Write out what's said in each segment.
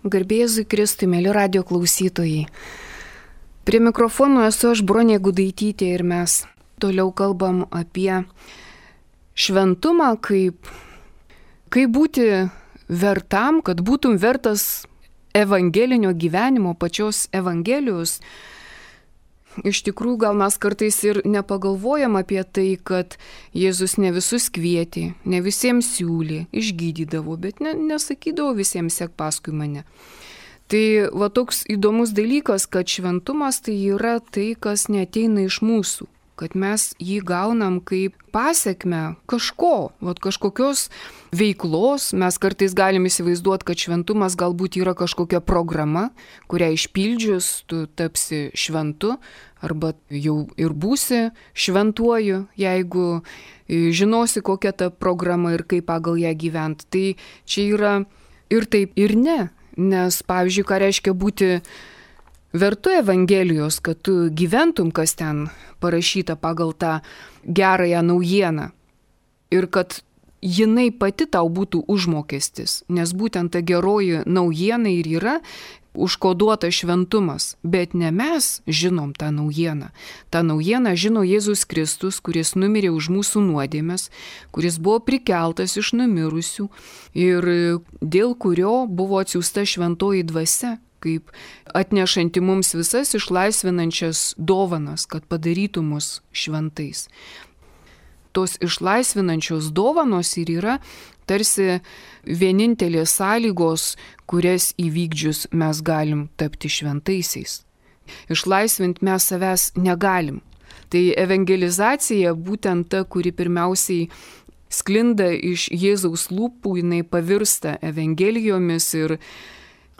Garbėzui Kristui, mėly radio klausytojai. Prie mikrofono esu aš, Bronė Gudaitytė, ir mes toliau kalbam apie šventumą, kaip būti vertam, kad būtum vertas evangelinio gyvenimo, pačios evangelijos. Iš tikrųjų, gal mes kartais ir nepagalvojam apie tai, kad Jėzus ne visus kvietė, ne visiems siūlė, išgydydavo, bet nesakydavo visiems sek paskui mane. Tai va toks įdomus dalykas, kad šventumas tai yra tai, kas neateina iš mūsų, kad mes jį gaunam kaip pasekmę kažkokios veiklos. Mes kartais galim įsivaizduoti, kad šventumas galbūt yra kažkokia programa, kurią išpildžius tu tapsi šventu, arba jau ir būsi šventuoju, jeigu žinosi, kokia ta programa ir kaip pagal ją gyventi. Tai čia yra ir taip, ir ne. Nes, pavyzdžiui, ką reiškia būti vertu Evangelijos, kad tu gyventum, kas ten parašyta pagal tą gerąją naujieną. Ir kad jinai pati tau būtų užmokestis. Nes būtent ta geroji naujiena ir yra užkoduota šventumas. Bet ne mes žinom tą naujieną. Ta naujiena žino Jėzus Kristus, kuris numirė už mūsų nuodėmes, kuris buvo prikeltas iš numirusių ir dėl kurio buvo atsiųsta šventoji dvasia, kaip atnešanti mums visas išlaisvinančias dovanas, kad padarytų mus šventais. Tos išlaisvinančios dovanos ir yra tarsi vienintelės sąlygos, kurias įvykdžius mes galim tapti šventaisiais. Išlaisvinti mes savęs negalim. Tai evangelizacija būtent ta, kuri pirmiausiai sklinda iš Jėzaus lūpų, jinai pavirsta evangelijomis ir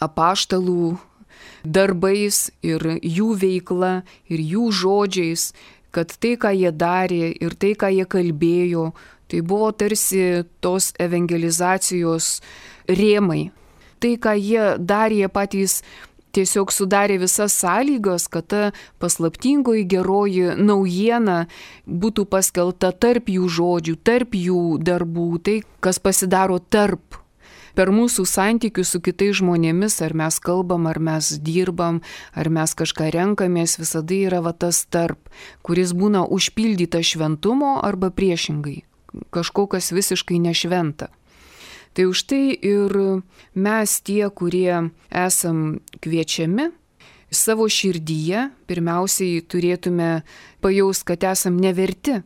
apaštalų darbais ir jų veikla ir jų žodžiais, kad tai, ką jie darė ir tai, ką jie kalbėjo, tai buvo tarsi tos evangelizacijos rėmai. Tai, ką jie darė, jie patys tiesiog sudarė visas sąlygas, kad ta paslaptingoji geroji naujiena būtų paskelbta tarp jų žodžių, tarp jų darbų, tai, kas pasidaro tarp. Per mūsų santykius su kitais žmonėmis, ar mes kalbam, ar mes dirbam, ar mes kažką renkamės, visada yra va tas tarp, kuris būna užpildyta šventumo arba priešingai, kažko, kas visiškai nešventa. Tai už tai ir mes tie, kurie esam kviečiami, savo širdyje pirmiausiai turėtume pajaust, kad esam neverti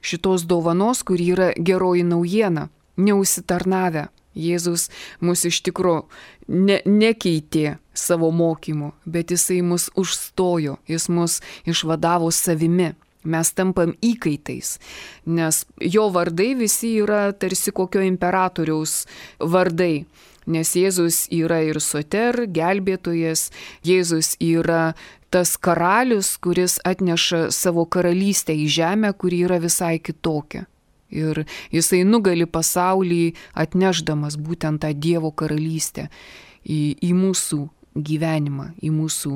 šitos dovanos, kuri yra geroji naujiena, neužsitarnavę. Jėzus mus iš tikro nekeitė savo mokymu, bet jisai mus užstojo, jis mus išvadavo savimi. Mes tampam įkaitais, nes jo vardai visi yra tarsi kokio imperatoriaus vardai. Nes Jėzus yra ir soter, gelbėtojas, Jėzus yra tas karalius, kuris atneša savo karalystę į žemę, kuri yra visai kitokia. Ir jisai nugali pasaulį atnešdamas būtent tą Dievo karalystę į mūsų gyvenimą, į mūsų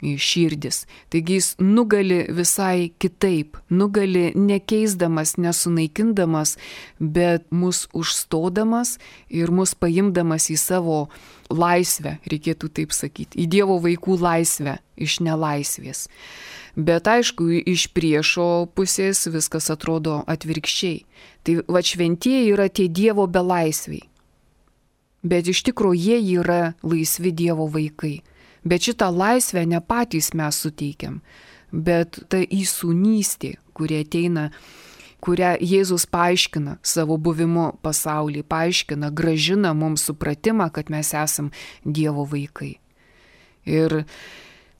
širdis. Taigi jis nugali visai kitaip, nugali nekeisdamas, nesunaikindamas, bet mus užstodamas ir mus paimdamas į savo laisvę, reikėtų taip sakyti, į Dievo vaikų laisvę iš nelaisvės. Bet aišku, iš priešo pusės viskas atrodo atvirkščiai. Tai va šventieji yra tie Dievo belaisviai. Bet iš tikrųjų jie yra laisvi Dievo vaikai. Bet šitą laisvę ne patys mes suteikiam, bet ta įsūnystė, kuri ateina, kurią Jėzus paaiškina savo buvimu pasaulyje, paaiškina, gražina mums supratimą, kad mes esam Dievo vaikai. Ir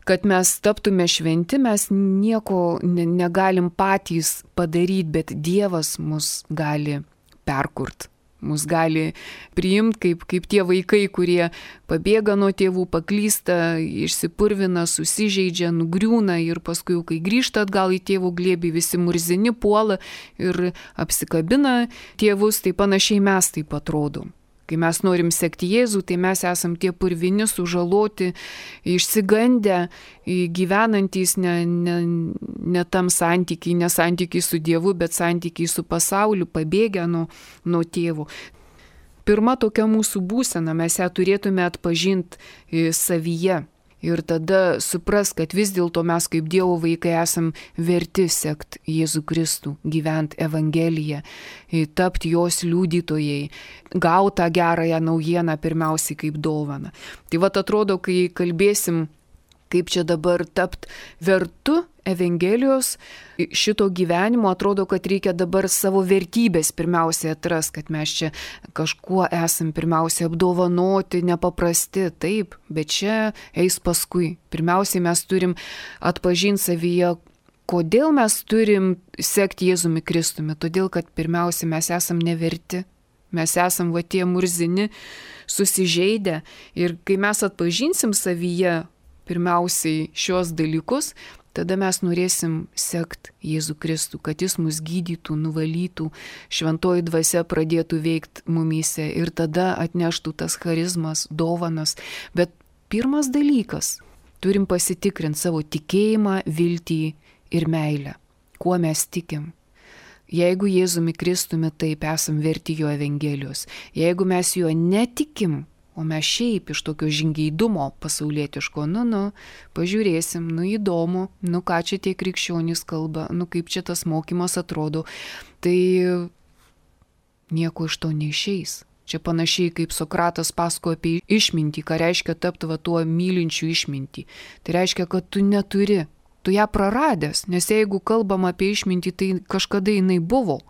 kad mes taptume šventi, mes nieko negalim patys padaryti, bet Dievas mus gali perkurt. Mus gali priimti kaip tie vaikai, kurie pabėga nuo tėvų, paklysta, išsipurvina, susižeidžia, nugriūna ir paskui, kai grįžta atgal į tėvų glėbį, visi murzini, puola ir apsikabina tėvus, tai panašiai mes taip atrodom. Kai mes norim sekti Jėzų, tai mes esam tie purvini, sužaloti, išsigandę, gyvenantys ne tam santykiai, ne santykiai su Dievu, bet santykiai su pasauliu, pabėgę nuo tėvų. pirma tokia mūsų būsena, mes ją turėtume atpažinti savyje. Ir tada supras, kad vis dėlto mes kaip Dievo vaikai esam verti sekti Jėzų Kristų, gyventi Evangeliją, tapti jos liudytojai, gauti tą gerąją naujieną pirmiausiai kaip dovaną. Tai vat atrodo, kai kalbėsim, kaip čia dabar tapti vertu Evangelijos šito gyvenimo, atrodo, kad reikia dabar savo vertybės pirmiausiai atras, kad mes čia kažkuo esam pirmiausiai apdovanoti, nepaprasti, taip, bet čia eis paskui. Pirmiausiai mes turim atpažinti savyje, kodėl mes turim sekti Jėzumi Kristumi. Todėl, kad pirmiausiai mes esam neverti. Mes esam va tie murzini, susižeidę. Ir kai mes atpažinsim savyje pirmiausiai šios dalykus, tada mes norėsim sekti Jėzų Kristų, kad jis mus gydytų, nuvalytų, šventoji dvasia pradėtų veikti mumyse ir tada atneštų tas charizmas, dovanas. Bet pirmas dalykas, turim pasitikrinti savo tikėjimą, viltį ir meilę. Kuo mes tikim? Jeigu Jėzumi Kristumi taip esam verti jo Evangelijos, jeigu mes juo netikim, o mes šiaip iš tokio žingeidumo pasaulietiško, pažiūrėsim, įdomu, ką čia tie krikščionys kalba, kaip čia tas mokymas atrodo, tai nieko iš to neišeis. Čia panašiai kaip Sokratas pasakojo apie išmintį, ką reiškia tapti tuo mylinčiu išmintį. Tai reiškia, kad tu neturi, tu ją praradęs, nes jeigu kalbam apie išmintį, tai kažkada jinai buvo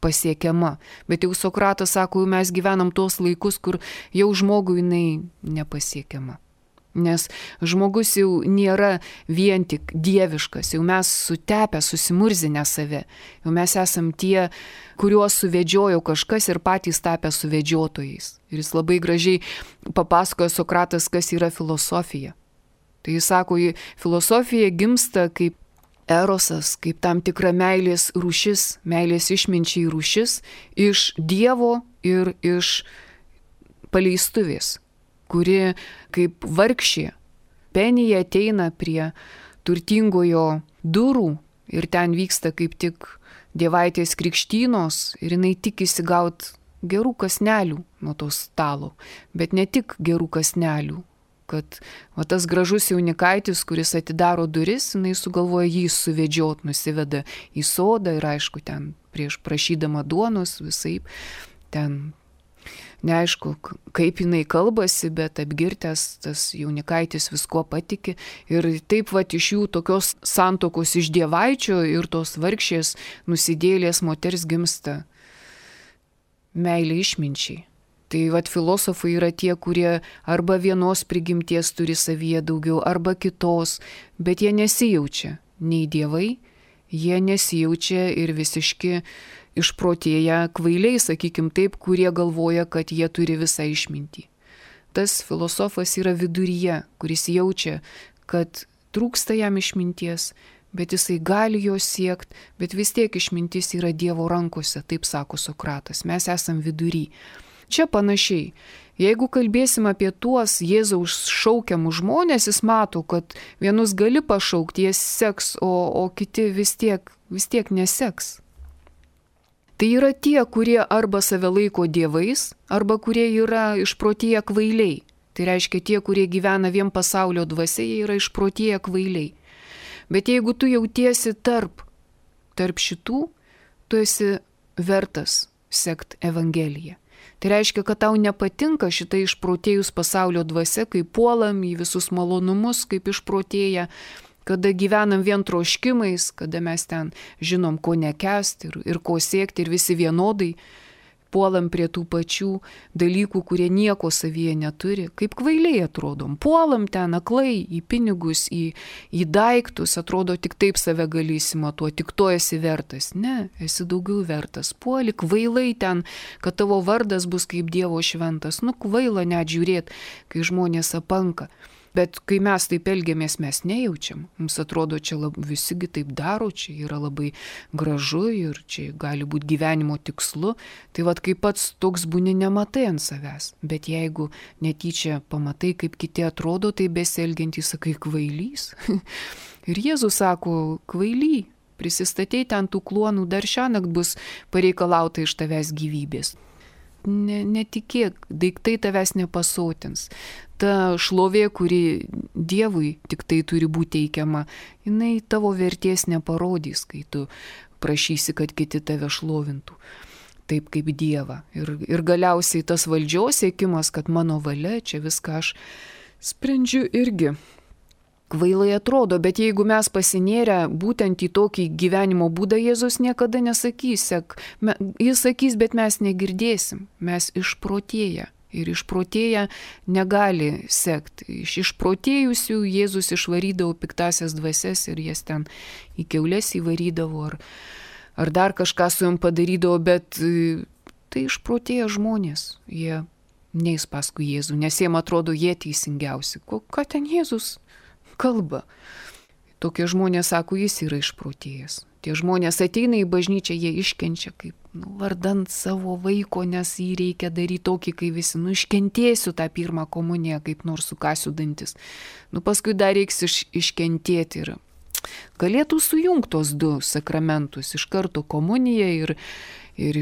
pasiekiama. Bet jau Sokratas sako, mes gyvenam tos laikus, kur jau žmogui jinai nepasiekiama. Nes žmogus jau nėra vien tik dieviškas, jau mes sutepę, susimurzinę save. Jau mes esam tie, kuriuos suvedžiojo kažkas ir patys tapę suvedžiotojais. Ir jis labai gražiai papasakojo Sokratas, kas yra filosofija. Tai jis sako, filosofija gimsta kaip erosas, kaip tam tikra meilės rūšis, meilės išminčiai rūšis iš Dievo ir iš paleistuvės, kuri kaip vargšė penija ateina prie turtingojo durų ir ten vyksta kaip tik dievaitės krikštynos ir jinai tikisi gauti gerų kąsnelių nuo to stalo, bet ne tik gerų kąsnelių. Kad tas gražus jaunikaitis, kuris atidaro duris, jinai sugalvoja jį suvedžiot, nusiveda į sodą ir aišku, ten prieš prašydama duonos visaip, ten neaišku, kaip jinai kalbasi, bet apgirtęs tas jaunikaitis visko patiki ir taip iš jų tokios santokos iš dievaičio ir tos vargšės nusidėlės moters gimsta meilė išminčiai. Tai filosofai yra tie, kurie arba vienos prigimties turi savyje daugiau, arba kitos, bet jie nesijaučia nei dievai, jie nesijaučia ir visiški išprotėję kvailiai, sakykim taip, kurie galvoja, kad jie turi visą išmintį. Tas filosofas yra viduryje, kuris jaučia, kad trūksta jam išminties, bet jisai gali jos siekti, bet vis tiek išmintis yra Dievo rankose, taip sako Sokratas, mes esam vidury. Čia panašiai. Jeigu kalbėsim apie tuos Jėzaus šaukiamus žmonės, jis mato, kad vienus gali pašaukti, jie seks, o kiti vis tiek neseks. Tai yra tie, kurie arba save laiko dievais, arba kurie yra išprotėję kvailiai. Tai reiškia tie, kurie gyvena vien pasaulio dvasia, jie yra išprotėję kvailiai. Bet jeigu tu jautiesi tarp šitų, tu esi vertas sekt Evangeliją. Tai reiškia, kad tau nepatinka šitą išprotėjus pasaulio dvasia, kai puolam į visus malonumus, kaip išprotėję, kada gyvenam vien troškimais, kada mes ten žinom, ko nekęsti ir ko siekti ir visi vienodai puolam prie tų pačių dalykų, kurie nieko savyje neturi, kaip kvailiai atrodom. Puolam ten aklai į pinigus, į daiktus, atrodo tik taip save gali įsimatuoti, tik to esi vertas. Ne, esi daugiau vertas. Puoli kvailai ten, kad tavo vardas bus kaip Dievo šventas. Kvaila net žiūrėti, kai žmonės apanka. Bet kai mes taip elgiamės, mes nejaučiam. Mums atrodo, čia visigi taip daro, čia yra labai gražu ir čia gali būti gyvenimo tikslu. Tai kai pats toks būni, nematai ant savęs. Bet jeigu netyčia pamatai, kaip kiti atrodo, tai besielgiantys sakai kvailys. Ir Jėzus sako, kvaily, prisistatei ten tų kluonų, dar šiąnakt bus pareikalauta iš tavęs gyvybės. netikėk, daiktai tavęs nepasotins. Ta šlovė, kuri Dievui tik tai turi būti teikiama, jinai tavo vertės neparodys, kai tu prašysi, kad kiti tave šlovintų taip kaip Dievą. Ir galiausiai tas valdžios siekimas, kad mano valia, čia viską aš sprendžiu, irgi kvailai atrodo, bet jeigu mes pasinėrę būtent į tokį gyvenimo būdą, Jėzus niekada nesakys, jis sakys, bet mes negirdėsim, mes išprotėję. Ir išprotėję negali sekti. Iš išprotėjusių Jėzus išvarydavo piktasias dvasias ir jas ten į kiaules įvarydavo ar dar kažką su jom padarydavo, bet tai išprotėję žmonės. Jie neis paskui Jėzų, nes jiem atrodo jie teisingiausi. Ką ten Jėzus kalba? Tokie žmonės sako, jis yra išprotėjęs. Tie žmonės ateina į bažnyčią, jie iškenčia kaip vardant savo vaiko, nes jį reikia daryti tokį, kai visi, iškentėsiu tą pirmą komuniją, kaip nors sukasiu dantis. Paskui dar reiks iškentėti ir galėtų sujungti tos du sakramentus, iš karto komunija ir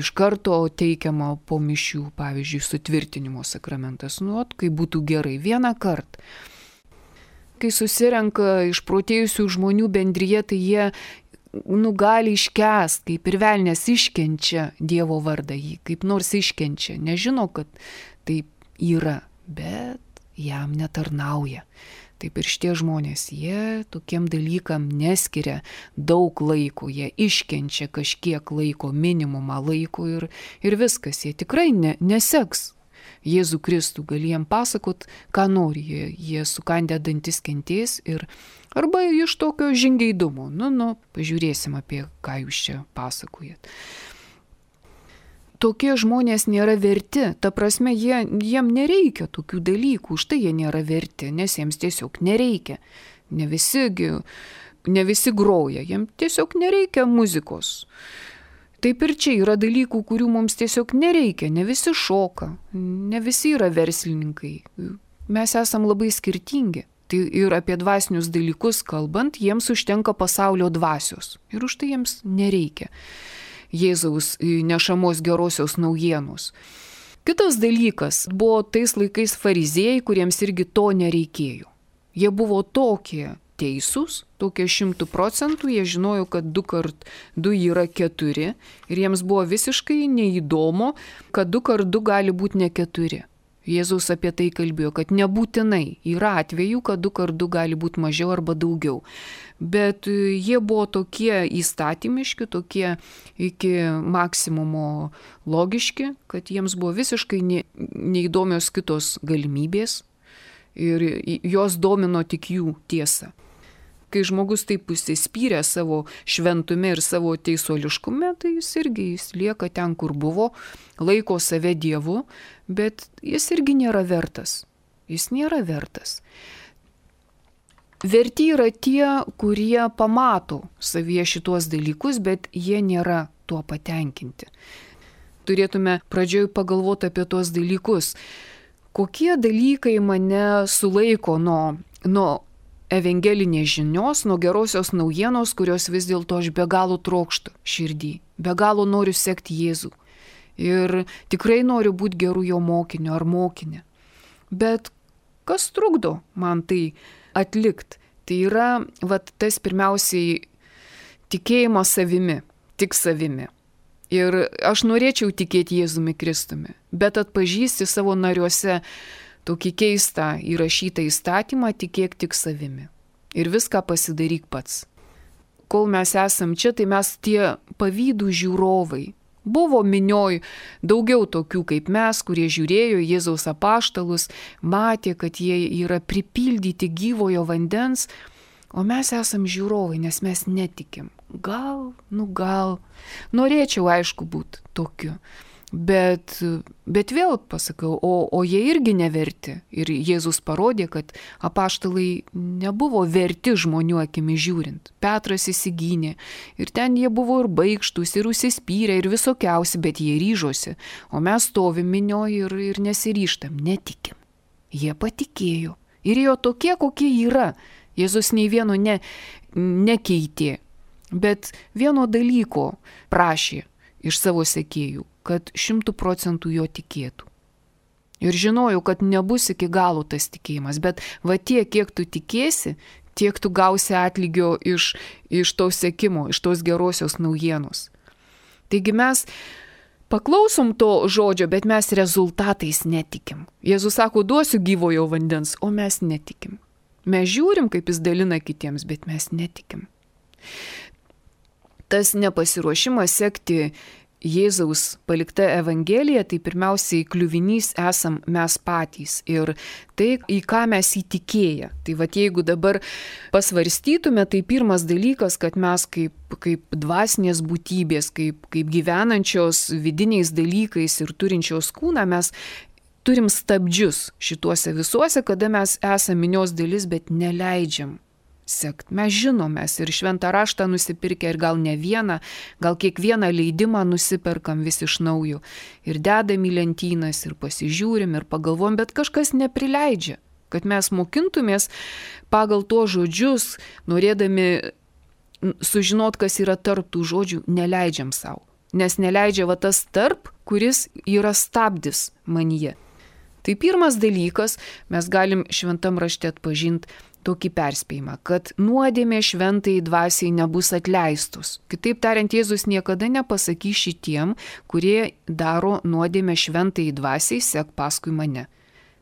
iš karto teikiama po mišių, pavyzdžiui, sutvirtinimo sakramentas. Kai būtų gerai, vieną kartą. Kai susirenka išprotėjusių žmonių bendryje, tai jie gali iškęst, kaip ir velnės iškenčia Dievo vardą, jį kaip nors iškenčia, nežino, kad taip yra, bet jam netarnauja. Taip ir šitie žmonės, jie tokiem dalykam neskiria daug laiko, jie iškenčia kažkiek laiko, minimumą laiko ir viskas, jie tikrai neseks Jėzų Kristų, gali jiem pasakot, ką nori, jie sukandę dantis kentės arba iš tokio žingeidumo. Pažiūrėsim, apie ką jūs čia pasakojat. Tokie žmonės nėra verti, ta prasme, jiem nereikia tokių dalykų, už tai jie nėra verti, nes jiems tiesiog nereikia. Ne visi groja, jiems tiesiog nereikia muzikos. Taip ir čia yra dalykų, kurių mums tiesiog nereikia, ne visi šoka, ne visi yra verslininkai, mes esam labai skirtingi. Tai ir apie dvasinius dalykus kalbant, jiems užtenka pasaulio dvasios ir už tai jiems nereikia Jėzaus nešamos gerosios naujienos. Kitas dalykas buvo tais laikais fariziejai, kuriems irgi to nereikėjo. Jie buvo tokie teisūs, tokie 100%, jie žinojo, kad 2 kart 2 yra 4 ir jiems buvo visiškai neįdomu, kad 2 kart 2 gali būti ne 4. Jėzus apie tai kalbėjo, kad nebūtinai yra atvejų, kad 2 kart 2 gali būti mažiau arba daugiau. Bet jie buvo tokie įstatymiški, tokie iki maksimumo logiški, kad jiems buvo visiškai neįdomios kitos galimybės ir jos domino tik jų tiesa. Kai žmogus taip užsispyrė savo šventume ir savo teisuoliškume, tai jis lieka ten, kur buvo, laiko save Dievu, bet jis irgi nėra vertas. Jis nėra vertas. Verti yra tie, kurie pamato savyje šituos dalykus, bet jie nėra tuo patenkinti. Turėtume pradžioj pagalvoti apie tuos dalykus. Kokie dalykai mane sulaiko nuo evangelinės žinios, nuo gerosios naujienos, kurios vis dėlto aš be galo trokštu širdį, be galo noriu sekti Jėzų ir tikrai noriu būti geru jo mokiniu ar mokinė. Bet kas trukdo man tai atlikti? Tai yra tas pirmiausiai tikėjimas savimi, tik savimi. Ir aš norėčiau tikėti Jėzumi Kristumi, bet atpažįsti savo nariuose tokį keistą įrašytą įstatymą, tikėk tik savimi. Ir viską pasidaryk pats. Kol mes esam čia, tai mes tie pavydų žiūrovai. Buvo minioj daugiau tokių kaip mes, kurie žiūrėjo Jėzaus apaštalus, matė, kad jie yra pripildyti gyvojo vandens, o mes esam žiūrovai, nes mes netikim. Gal, norėčiau aišku būti tokiu. Bet vėl pasakau, o jie irgi neverti. Ir Jėzus parodė, kad apaštalai nebuvo verti žmonių akimi žiūrint. Petras įsigynė ir ten jie buvo ir baikštus, ir užsispyrę, ir visokiausi, bet jie ryžosi. O mes stovim minioje ir nesiryžtam, netikim. Jie patikėjo. Ir jo tokie, kokie yra. Jėzus nei vieno nekeitė, bet vieno dalyko prašė iš savo sekėjų. kad 100% jo tikėtų. Ir žinojau, kad nebus iki galo tas tikėjimas, bet va tiek, kiek tu tikėsi, tiek tu gausi atlygio iš to sekimo, iš tos gerosios naujienos. Taigi mes paklausom to žodžio, bet mes rezultatais netikim. Jėzus sako, duosiu gyvojo vandens, o mes netikim. Mes žiūrim, kaip jis dalina kitiems, bet mes netikim. Tas nepasiruošimas sekti Jėzaus palikta Evangelija, tai pirmiausiai kliuvinys esam mes patys ir tai, į ką mes įtikėję. Tai va, jeigu dabar pasvarstytume, tai pirmas dalykas, kad mes kaip dvasinės būtybės, kaip gyvenančios vidiniais dalykais ir turinčios kūną, mes turim stabdžius šituose visuose, kada mes esame minios dalis, bet neleidžiam sekt. Mes žinom, mes ir šventą raštą nusipirkę ir gal ne vieną, gal kiekvieną leidimą nusiperkam vis iš naujo. Ir dedam į lentynas, ir pasižiūrim, ir pagalvom, bet kažkas neprileidžia, kad mes mokintumės pagal to žodžius, norėdami sužinot, kas yra tarp tų žodžių, neleidžiam savo. Nes neleidžia va tas tarp, kuris yra stabdis manyje. Tai pirmas dalykas, mes galim šventam rašte atpažinti tokį perspėjimą, kad nuodėmė šventai dvasiai nebus atleistus. Kitaip tariant, Jėzus niekada nepasakys šitiem, kurie daro nuodėmę šventai dvasiai, sek paskui mane.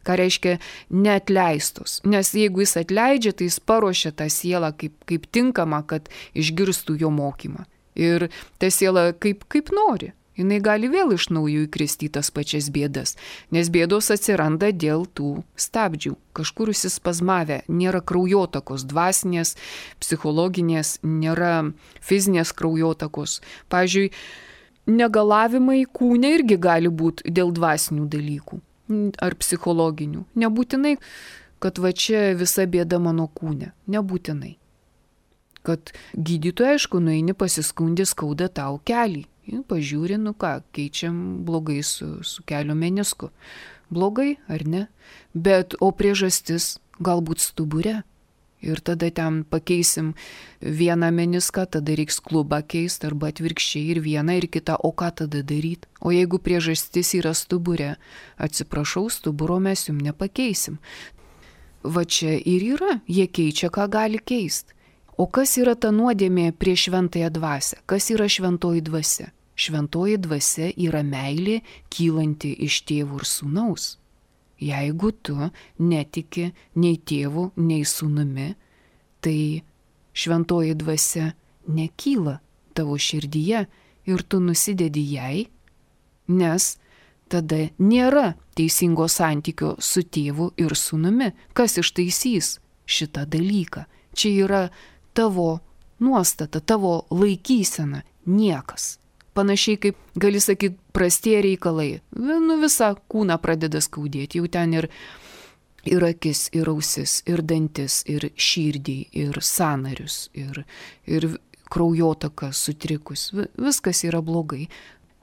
Ką reiškia neatleistus? Nes jeigu jis atleidžia, tai jis paruošia tą sielą kaip tinkama, kad išgirstų jo mokymą. Ir ta siela kaip nori. Jinai gali vėl iš naujo įkristi į tas pačias bėdas, nes bėdos atsiranda dėl tų stabdžių. Kažkur užsispazmavę, nėra kraujotakos, dvasinės, psichologinės, nėra fizinės kraujotakos. Pavyzdžiui, negalavimai kūne irgi gali būti dėl dvasinių dalykų ar psichologinių. Nebūtinai, kad va čia visa bėda mano kūne. Nebūtinai. Kad gydytoja, aišku, nueini pasiskundį, skauda tau kelį. Pažiūri, keičiam blogai su kelio menisku. Blogai, ar ne? Bet, o priežastis galbūt stubure. Ir tada ten pakeisim vieną meniską, tada reiks klubą keisti, arba atvirkščiai ir vieną, ir kitą, o ką tada daryti? O jeigu priežastis yra stubure, atsiprašau, stuburo mes jums nepakeisim. Va čia ir yra, jie keičia, ką gali keisti. O kas yra ta nuodėmė prieš šventąją dvasią? Kas yra šventoji dvasia? Šventoji dvasia yra meilė kylanti iš tėvų ir sūnaus. Jeigu tu netiki nei tėvų, nei sūnumi, tai šventoji dvasia nekyla tavo širdyje ir tu nusidedi jai, nes tada nėra teisingo santykio su tėvu ir sūnumi. Kas ištaisys šitą dalyką? Čia yra tavo nuostata, tavo laikysena, niekas. Panašiai kaip, gali sakyti, prastie reikalai. Visą kūną pradeda skaudėti. Jau ten ir akis, ir ausis, ir dantis, ir širdį, ir sąnarius, ir kraujotaka sutrikus. Viskas yra blogai.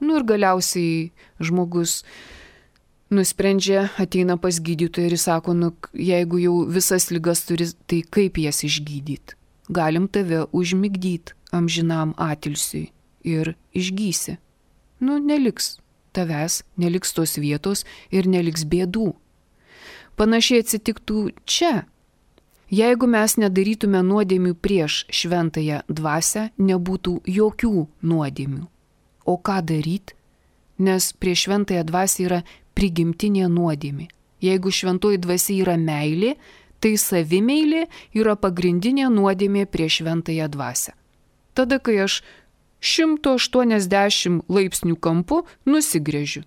Ir galiausiai žmogus nusprendžia, ateina pas gydytoją ir sako, jeigu jau visas ligas turi, tai kaip jas išgydyti? Galim tave užmigdyti amžinam atilsiui. Ir išgysi. Neliks tavęs, neliks tos vietos ir neliks bėdų. Panašiai atsitiktų čia. Jeigu mes nedarytume nuodėmių prieš šventąją dvasią, nebūtų jokių nuodėmių. O ką daryti? Nes prieš šventąją dvasią yra prigimtinė nuodėmė. Jeigu šventoji dvasia yra meilė, tai savimeilė yra pagrindinė nuodėmė prieš šventąją dvasią. Tada, kai aš 180 laipsnių kampu nusigręžiu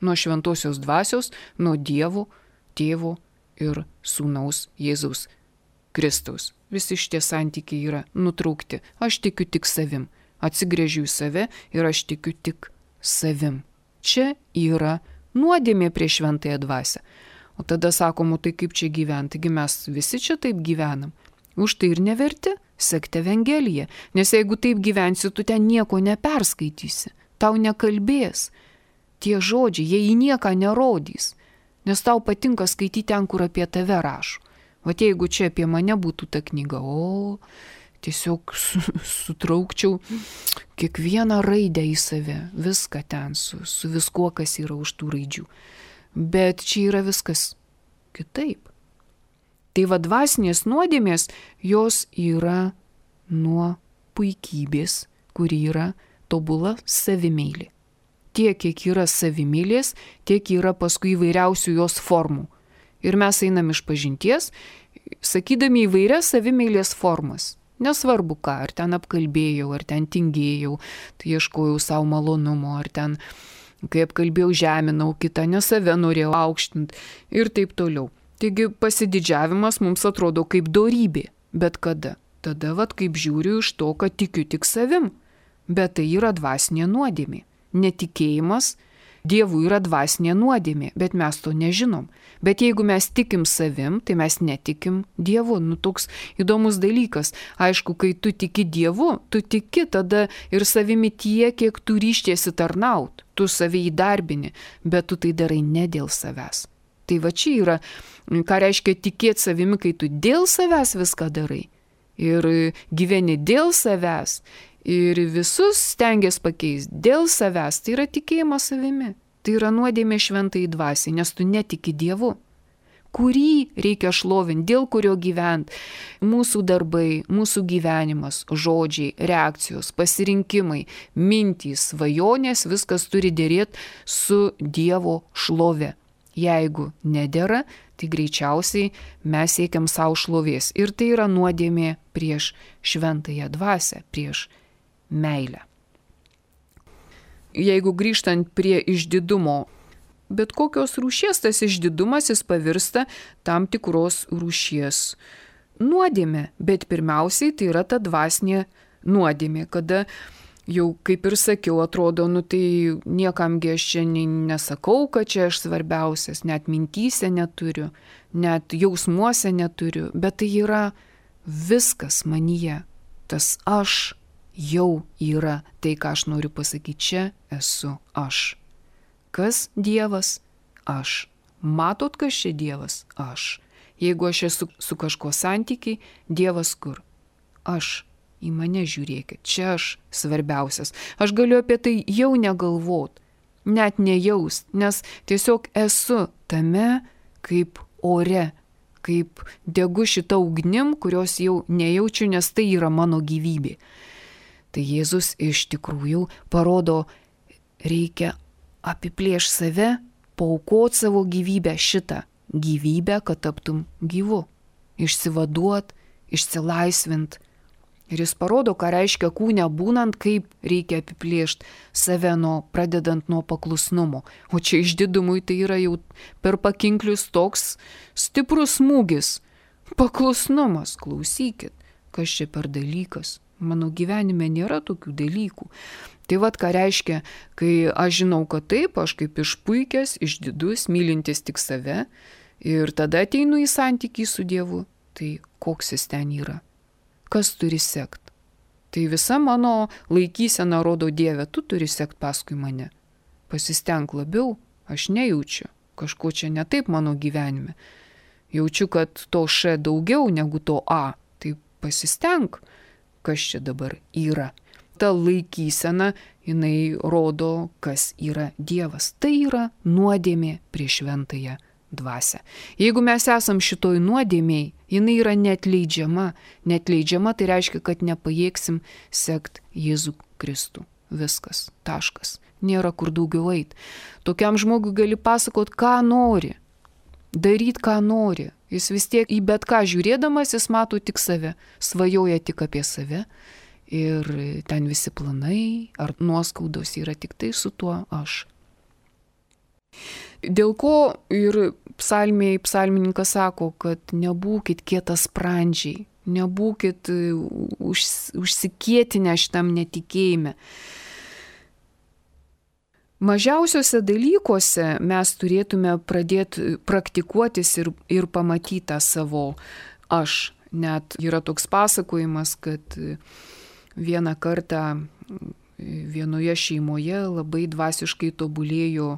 nuo šventosios dvasios, nuo Dievo, Tėvo ir Sūnaus Jėzaus Kristaus. Visi šitie santykiai yra nutraukti. Aš tikiu tik savim. Atsigręžiu į save ir aš tikiu tik savim. Čia yra nuodėmė prieš šventąją dvasią. O tada sakomu, tai kaip čia gyventi? Taigi mes visi čia taip gyvenam. Už tai ir neverti sekti Evangeliją. Nes jeigu taip gyvensi, tu ten nieko neperskaitysi. Tau nekalbės. Tie žodžiai, jie į nieką nerodys. Nes tau patinka skaityti ten, kur apie tave rašo. O jeigu čia apie mane būtų ta knyga, tiesiog sutraukčiau kiekvieną raidę į save, viską ten, su viskuo, kas yra už tų raidžių. Bet čia yra viskas kitaip. Tai va dvasinės nuodėmės, jos yra nuo puikybės, kuri yra tobula savimeilė. Tiek, kiek yra savimylės, tiek yra paskui įvairiausių jos formų. Ir mes einam iš pažinties, sakydami įvairias savimeilės formas. Nesvarbu ką, ar ten apkalbėjau, ar ten tingėjau, tai ieškojau savo malonumo, ar ten, kai apkalbėjau, žeminau kitą, ne save norėjau aukštinti ir taip toliau. Taigi pasididžiavimas mums atrodo kaip dorybė, bet kada? Tada vat kaip žiūriu iš to, kad tikiu tik savim, bet tai yra dvasinė nuodėmė. Netikėjimas Dievui yra dvasinė nuodėmė, bet mes to nežinom. Bet jeigu mes tikim savim, tai mes netikim Dievu. Toks įdomus dalykas. Aišku, kai tu tiki Dievu, tu tiki tada ir savimi tiek, kiek tu ryštiesi tarnaut. Tu save įdarbini, bet tu tai darai ne dėl savęs. Tai va čia yra, ką reiškia tikėti savimi, kai tu dėl savęs viską darai. Ir gyveni dėl savęs. Ir visus stengiasi pakeisti dėl savęs, tai yra tikėjimas savimi. Tai yra nuodėmė šventai dvasiai, nes tu netiki Dievu, kurį reikia šlovinti, dėl kurio gyventi. Mūsų darbai, mūsų gyvenimas, žodžiai, reakcijos, pasirinkimai, mintys, svajonės, viskas turi dėrėti su Dievo šlove. Jeigu nedera, tai greičiausiai mes siekiam savo šlovės. Ir tai yra nuodėmė prieš šventąją dvasią, prieš meilę. Jeigu grįžtant prie išdidumo, bet kokios rūšies tas išdidumas jis pavirsta tam tikros rūšies nuodėmė, bet pirmiausiai tai yra ta dvasinė nuodėmė, kada jau kaip ir sakiau, atrodo, tai niekamgi aš čia nesakau, kad čia aš svarbiausias, net mintyse neturiu, net jausmuose neturiu, bet tai yra viskas manyje, tas aš jau yra tai, ką aš noriu pasakyti, čia esu aš. Kas Dievas? Aš. Matot, kas čia Dievas? Aš. Jeigu aš esu su kažko santykiai, Dievas kur? Aš. Į mane žiūrėkit, čia aš svarbiausias. Aš galiu apie tai jau negalvot, net nejaust, nes tiesiog esu tame kaip ore, kaip degu šitą ugnim, kurios jau nejaučiu, nes tai yra mano gyvybė. Tai Jėzus iš tikrųjų parodo, reikia apiplėšti save, paaukoti savo gyvybę, šitą gyvybę, kad taptum gyvu, išsivaduot, išsilaisvint. Ir jis parodo, ką reiškia kūne būnant, kaip reikia apiplėšti save pradedant nuo paklusnumo. O čia išdidumui tai yra jau per pakinklius toks stiprus smūgis. Paklusnumas, klausykit, kas čia per dalykas. Mano gyvenime nėra tokių dalykų. Tai vat ką reiškia, kai aš žinau, kad taip, aš kaip išpuikęs, išdidus, mylintis tik save ir tada ateinu į santykį su Dievu, tai koks jis ten yra? Kas turi sekt? Tai visa mano laikysena rodo, Dieve, tu turi sekt paskui mane. Pasistenk labiau, aš nejaučiu, kažko čia ne taip mano gyvenime. Jaučiu, kad to š daugiau negu to a, tai pasistenk, kas čia dabar yra. Ta laikysena, jinai rodo, kas yra Dievas. Tai yra nuodėmė prieš šventąją dvasią. Jeigu mes esam šitoj nuodėmėj, jinai yra neatleidžiama. Neatleidžiama tai reiškia, kad nepajėgsim sekt Jėzų Kristų. Viskas, taškas. Nėra kur daugiau eit. Tokiam žmogui gali pasakot, ką nori. Daryt, ką nori. Jis vis tiek į bet ką žiūrėdamas, jis mato tik save. Svajoja tik apie save. Ir ten visi planai ar nuoskaudos yra tik tai su tuo aš. Dėl ko ir psalmininkas sako, kad nebūkit kietasprandžiai, nebūkit užsikietinę šitam netikėjime. Mažiausiuose dalykuose mes turėtume pradėti praktikuotis ir pamatyti tą savo aš. Net yra toks pasakojimas, kad vieną kartą vienoje šeimoje labai dvasiškai tobulėjo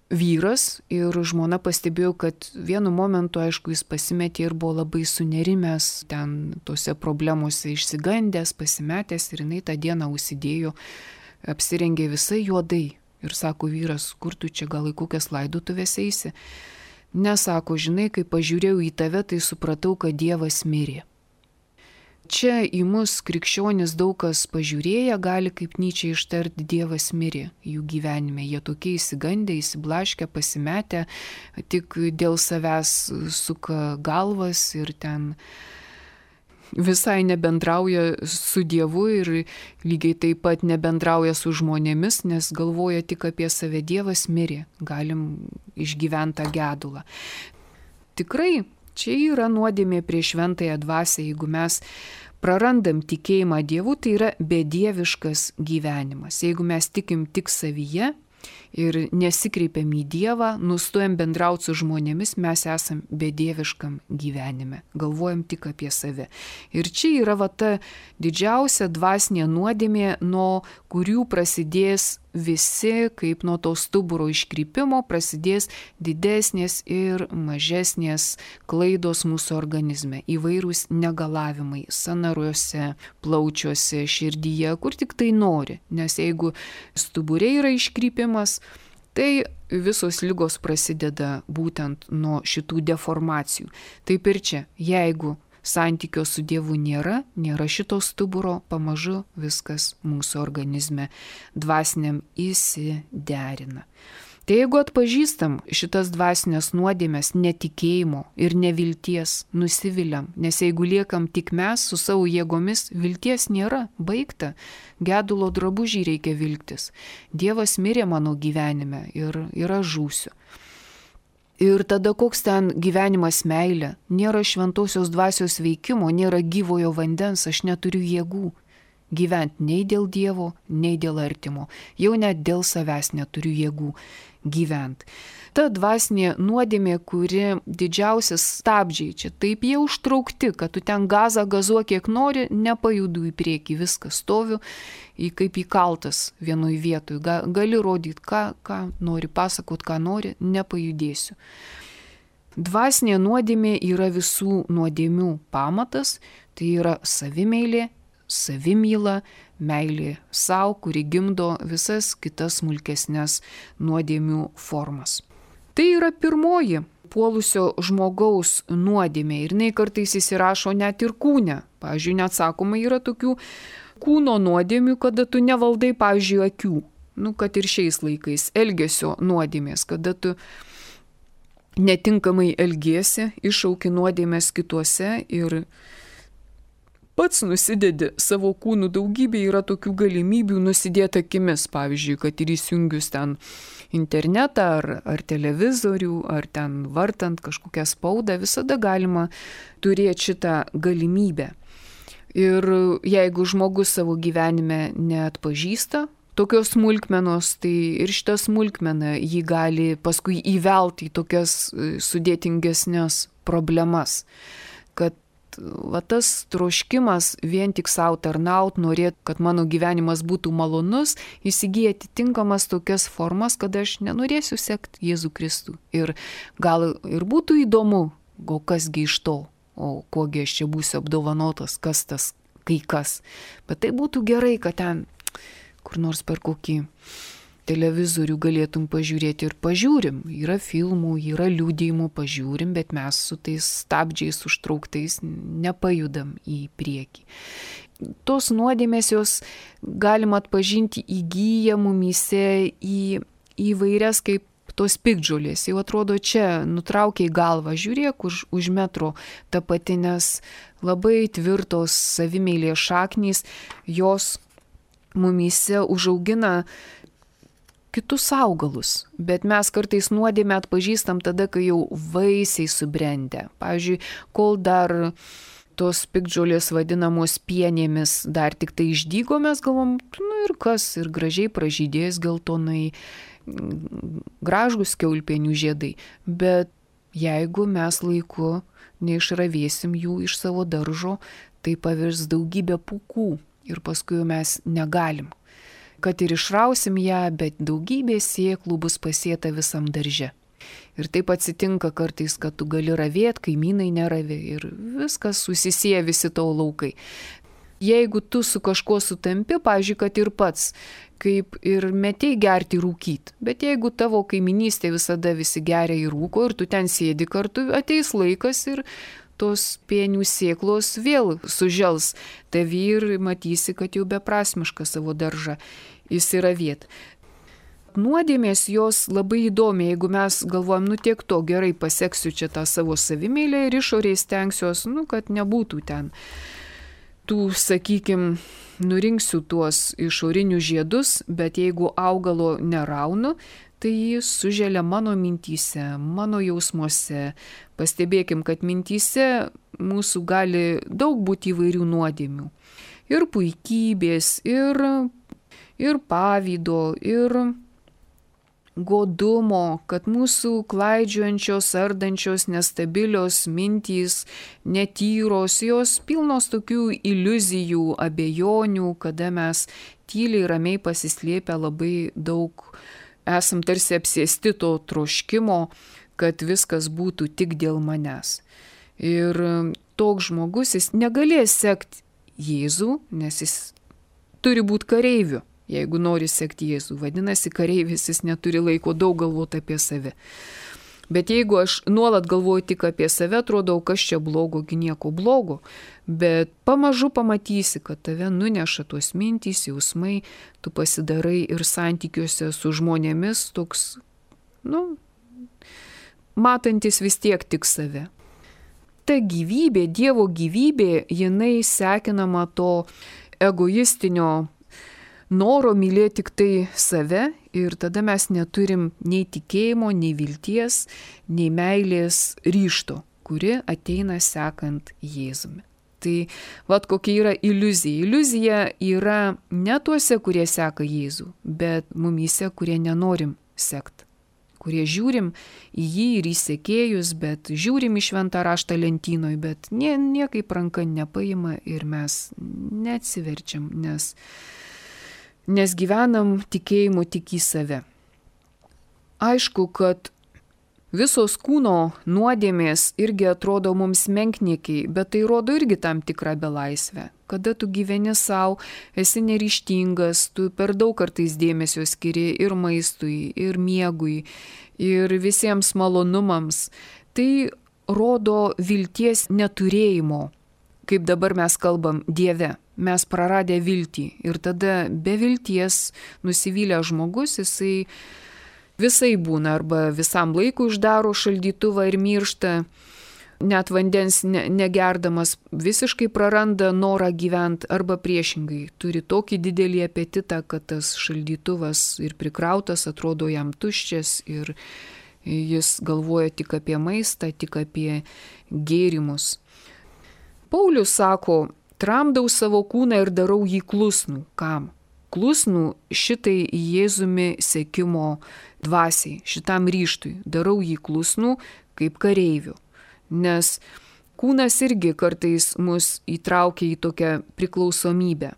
vyras ir žmona pastebėjo, kad vienu momentu, aišku, jis pasimetė ir buvo labai sunerimęs, ten tose problemose išsigandęs, pasimetęs ir jinai tą dieną užsidėjo, apsirengė visai juodai. Ir sako vyras, kur tu čia gal į kokias laidotuvės eisi? Nesako, žinai, kai pažiūrėjau į tave, tai supratau, kad Dievas mirė. Čia į mus krikščionis daug kas pažiūrėję gali kaip Nyčė ištarti Dievas mirė jų gyvenime. Jie tokie įsigandę, įsiblaškę, pasimetę, tik dėl savęs suka galvas ir ten visai nebendrauja su Dievu ir lygiai taip pat nebendrauja su žmonėmis, nes galvoja tik apie save. Dievas mirė, galim išgyventi tą gedulą. Tikrai, čia yra nuodėmė prieš šventąją dvasią, jeigu mes prarandam tikėjimą Dievu, tai yra bedieviškas gyvenimas. Jeigu mes tikim tik savyje ir nesikreipiam į Dievą, nustojam bendrauti su žmonėmis, mes esam bedieviškam gyvenime, galvojam tik apie save. Ir čia yra va ta didžiausia dvasinė nuodėmė, nuo kurių prasidės visi, kaip nuo to stuburo iškrypimo, prasidės didesnės ir mažesnės klaidos mūsų organizme, įvairūs negalavimai sąnariuose, plaučiuose, širdyje, kur tik tai nori. Nes jeigu stubure yra iškrypimas, tai visos ligos prasideda būtent nuo šitų deformacijų. Taip ir čia, jeigu santykio su Dievu nėra šito stuburo, pamažu viskas mūsų organizme dvasiniam įsiderina. Tai jeigu atpažįstam šitas dvasinės nuodėmės netikėjimo ir nevilties, nusiviliam, nes jeigu liekam tik mes su savo jėgomis, vilties nėra, baigta, gedulo drabužį reikia vilktis. Dievas mirė mano gyvenime ir aš žūsiu. Ir tada koks ten gyvenimas meilė, nėra šventosios dvasios veikimo, nėra gyvojo vandens, aš neturiu jėgų gyventi nei dėl Dievo, nei dėl artimo, jau net dėl savęs neturiu jėgų gyventi. Ta dvasinė nuodėmė, kuri didžiausias stabdžiai, čia taip jie užtraukti, kad tu ten gazą gazuok kiek nori, nepajudu į priekį, viskas stoviu kaip įkaltas vienoj vietoj, gali rodyti, ką nori, pasakot, ką nori, nepajudėsiu. Dvasinė nuodėmė yra visų nuodėmių pamatas, tai yra savimeilė, savimyla, meilė savo, kuri gimdo visas kitas smulkesnės nuodėmių formas. Tai yra pirmoji puolusio žmogaus nuodėmė ir jinai kartais įsirašo net ir kūne. Pavyzdžiui, net sakoma, yra tokių kūno nuodėmių, kada tu nevaldai, pavyzdžiui, akių. Kad ir šiais laikais elgesio nuodėmės, kada tu netinkamai elgiesi, iššauki nuodėmės kituose ir pats nusidedi savo kūnų. Daugybė yra tokių galimybių nusidėti akimis, pavyzdžiui, kad ir įsijungius ten internetą ar televizorių, ar ten vartant kažkokią spaudą, visada galima turėti šitą galimybę. Ir jeigu žmogus savo gyvenime neatpažįsta tokios smulkmenos, tai ir šitą smulkmeną jį gali paskui įvelti į tokias sudėtingesnės problemas, kad tas troškimas vien tik savo tarnaut, norėt, kad mano gyvenimas būtų malonus, įsigyja atitinkamas tokias formas, kad aš nenorėsiu sekti Jėzų Kristų. Ir gal ir būtų įdomu, o kasgi iš to, o kogi aš čia būsiu apdovanotas, kas tas kai kas. Bet tai būtų gerai, kad ten kur nors per kokį televizorių galėtum pažiūrėti ir pažiūrim. Yra filmų, yra liudijimų, pažiūrim, bet mes su tais stabdžiais užtrauktais nepajudam į priekį. Tos nuodėmės jos galima atpažinti įgyja mumyse į įvairias kaip tos piktžolės. Jau atrodo čia nutraukiai galvą, žiūrėk už metro ta pati, nes labai tvirtos savimeilės šaknys, jos mumyse užaugina kitus augalus, bet mes kartais nuodėmę atpažįstam tada, kai jau vaisiai subrendę. Pavyzdžiui, kol dar tos piktžolės vadinamos pienėmis dar tik tai išdygo, mes galvom, ir kas, ir gražiai pražydės geltonai, gražūs kiaulpienių žiedai. Bet jeigu mes laiku neišravėsim jų iš savo daržo, tai pavirs daugybę pūkų ir paskui mes negalim kad ir išrausim ją, bet daugybė sėklų bus pasėta visam darže. Ir taip atsitinka kartais, kad tu gali ravėt, kaimynai neravė ir viskas susisieja visi tavo laukai. Jeigu tu su kažkuo sutampi, pavyzdžiui, kad ir pats, kaip ir metėjai gerti rūkyti, bet jeigu tavo kaiminystė visada visi geria ir rūko ir tu ten sėdi kartu, ateis laikas ir tos pienių sėklos vėl sužels tavi ir matysi, kad jau beprasmiška savo daržą įsiravėt. Nuodėmės jos labai įdomi, jeigu mes galvojam, tiek to gerai paseksiu čia tą savo savimėlę ir išoriai stengsiuos, kad nebūtų ten tų, sakykim, nurinksiu tuos išorinius žiedus, bet jeigu augalo neraunu, tai jis suželia mano mintyse, mano jausmuose. Pastebėkim, kad mintyse mūsų gali daug būti įvairių nuodėmių. Ir puikybės, ir pavydo, ir godumo, kad mūsų klaidžiojančios, ardančios, nestabilios mintys, netyros, jos pilnos tokių iliuzijų, abejonių, kada mes tyliai, ramiai pasislėpę labai daug esam tarsi apsėsti to troškimo, kad viskas būtų tik dėl manęs. Ir toks žmogus, jis negalės sekti Jėzų, nes jis turi būti kareiviu. Jeigu nori sekti Jėzų, vadinasi, kareivis, jis neturi laiko daug galvoti apie save. Bet jeigu aš nuolat galvoju tik apie save, atrodo, kas čia blogo, nieko blogo. Bet pamažu pamatysi, kad tave nuneša tuos mintys, jausmai, tu pasidarai ir santykiuose su žmonėmis toks, matantis vis tiek tik save. Ta gyvybė, Dievo gyvybė, jinai sekinama to egoistinio noro mylėti tik tai save ir tada mes neturim nei tikėjimo, nei vilties, nei meilės ryžto, kuri ateina sekant Jėzumi. Tai kokia yra iliuzija. Iliuzija yra ne tuose, kurie seka Jėzų, bet mumyse, kurie nenorim sekti. Kurie žiūrim į jį ir į sekėjus, bet žiūrim į šventą raštą lentynoj, bet niekaip ranka nepaima ir mes neatsiverčiam, nes gyvenam tikėjimu tik į save. Aišku, kad visos kūno nuodėmės irgi atrodo mums menkniekiai, bet tai rodo irgi tam tikrą belaisvę. Kada tu gyveni savo, esi neryžtingas, tu per daug kartais dėmesio skiri ir maistui, ir miegui, ir visiems malonumams. Tai rodo vilties neturėjimo. Kaip dabar mes kalbam Dieve, mes praradę viltį ir tada be vilties nusivylę žmogus, jisai visai būna arba visam laikui uždaro šaldytuvą ir miršta, net vandens negerdamas visiškai praranda norą gyventi arba priešingai, turi tokį didelį apetitą, kad tas šaldytuvas ir prikrautas atrodo jam tuščias ir jis galvoja tik apie maistą, tik apie gėrimus. Paulius sako, tramdau savo kūną ir darau jį klusnų. Kam? Klusnų šitai Jėzumi sekimo dvasiai, šitam ryžtui. Darau jį klusnų kaip kareivių. Nes kūnas irgi kartais mus įtraukia į tokią priklausomybę,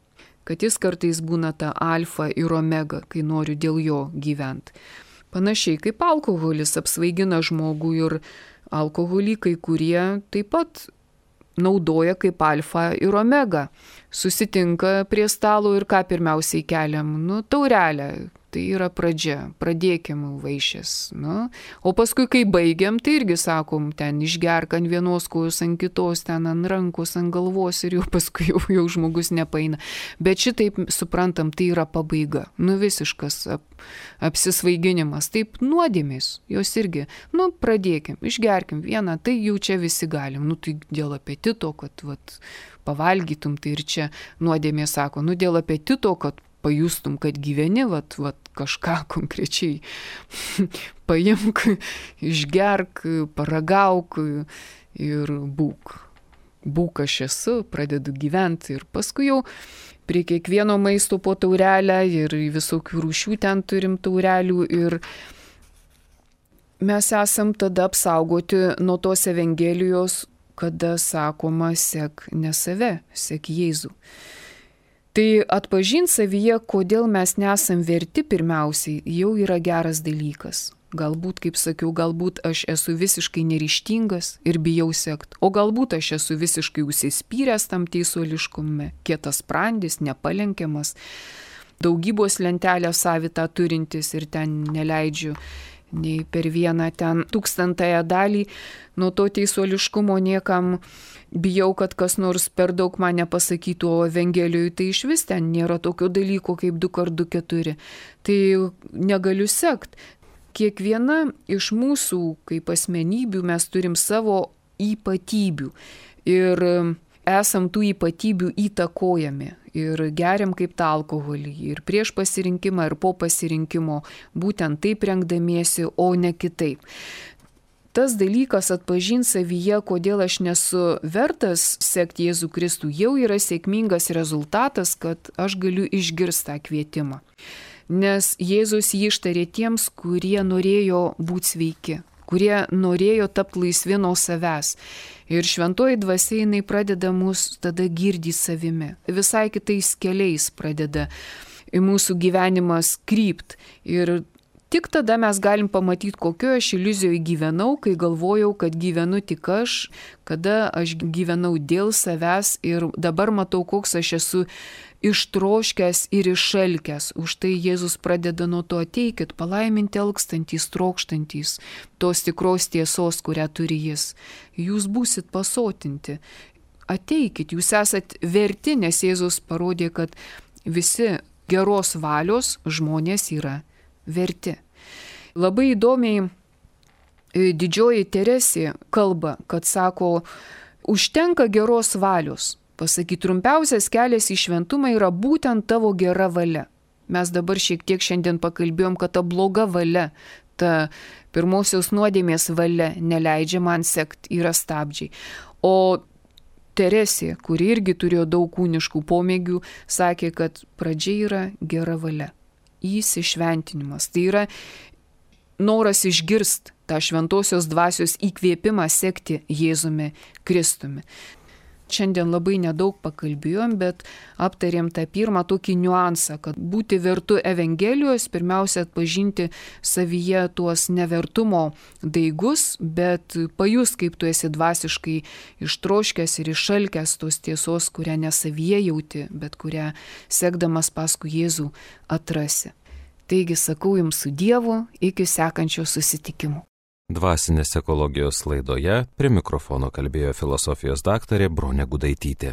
kad jis kartais būna ta alfa ir omega, kai noriu dėl jo gyventi. Panašiai kaip alkoholis apsvaigina žmogų ir alkoholikai, kurie taip pat naudoja kaip alfa ir omega. Susitinka prie stalo ir ką pirmiausiai keliam? Taurelę. Tai yra pradžia. Pradėkim vaišės. O paskui, kai baigiam, tai irgi sakom, ten išgerk ant vienos kojos, ant kitos, ten ant rankos, ant galvos ir jau paskui jau žmogus nepaina. Bet šitaip suprantam, tai yra pabaiga. Visiškas apsisvaiginimas. Taip nuodėmės. Jos irgi. Pradėkim, išgerkim vieną, tai jau čia visi galim. Tai dėl apetito, kad pavalgytum, tai ir čia nuodėmė sako, dėl apetito, kad pajustum, kad gyveni, kažką konkrečiai paimk, išgerk, paragauk ir būk. Būk aš esu, pradedu gyventi ir paskui jau prie kiekvieno maisto po taurelę ir visokių rūšių ten turim taurelių ir mes esam tada apsaugoti nuo tos evangelijos, kada sakoma, sek ne save, sek Jėzų. Tai atpažinti savyje, kodėl mes nesam verti pirmiausiai, jau yra geras dalykas. Galbūt, kaip sakiau, galbūt aš esu visiškai neryžtingas ir bijau sekt, o galbūt aš esu visiškai užsispyręs tam teisuoliškume, kietas sprandis, nepalenkiamas, daugybos lentelę savitą turintis ir ten neleidžiu nei per vieną ten 1000 dalį nuo to teisuoliškumo niekam. Bijau, kad kas nors per daug man nepasakytų, o Evangelijoje tai iš vis ten nėra tokio dalyko kaip 2 x 2 4. Tai negaliu sekt. Kiekviena iš mūsų kaip asmenybių mes turim savo ypatybių ir esam tų ypatybių įtakojami ir geriam kaip tą alkoholį ir prieš pasirinkimą ir po pasirinkimo būtent taip rengdamiesi, o ne kitaip. Tas dalykas atpažinti savyje, kodėl aš nesu vertas sekti Jėzų Kristų, jau yra sėkmingas rezultatas, kad aš galiu išgirsti tą kvietimą. Nes Jėzus jį ištarė tiems, kurie norėjo būti sveiki, kurie norėjo tapti laisvi nuo savęs. Ir šventoji dvasia jinai pradeda mus tada girdyti savimi. Visai kitais keliais pradeda mūsų gyvenimas krypt. Ir tik tada mes galim pamatyti, kokioje aš iliuzijoje gyvenau, kai galvojau, kad gyvenu tik aš, kada aš gyvenau dėl savęs ir dabar matau, koks aš esu ištroškęs ir išalkęs. Už tai Jėzus pradeda nuo to: ateikit, palaiminti alkstantys, trokštantys tos tikros tiesos, kurią turi Jis. Jūs būsit pasotinti. Ateikit, jūs esat verti, nes Jėzus parodė, kad visi geros valios žmonės yra verti. Labai įdomiai didžioji Teresė kalba, kad sako, užtenka geros valios. Pasakyt, trumpiausias kelias į šventumą yra būtent tavo gera valia. Mes dabar šiek tiek šiandien pakalbėjom, kad ta bloga valia, ta pirmosios nuodėmės valia neleidžia man sekt, yra stabdžiai. O Teresė, kuri irgi turėjo daug kūniškų pomėgių, sakė, kad pradžia yra gera valia. Įsišventinimas. Tai yra noras išgirsti tą šventosios dvasios įkvėpimą sekti Jėzumi Kristumi. Šiandien labai nedaug pakalbėjom, bet aptarėm tą pirmą tokį niuansą, kad būti vertu Evangelijos, pirmiausia atpažinti savyje tuos nevertumo daigus, bet pajus, kaip tu esi dvasiškai ištroškęs ir išalkęs tos tiesos, kurią ne savyje jauti, bet kurią sekdamas paskui Jėzų atrasi. Taigi sakau jums su Dievu, iki sekančio susitikimo. Dvasinės ekologijos laidoje prie mikrofono kalbėjo filosofijos daktarė Bronė Gudaitytė.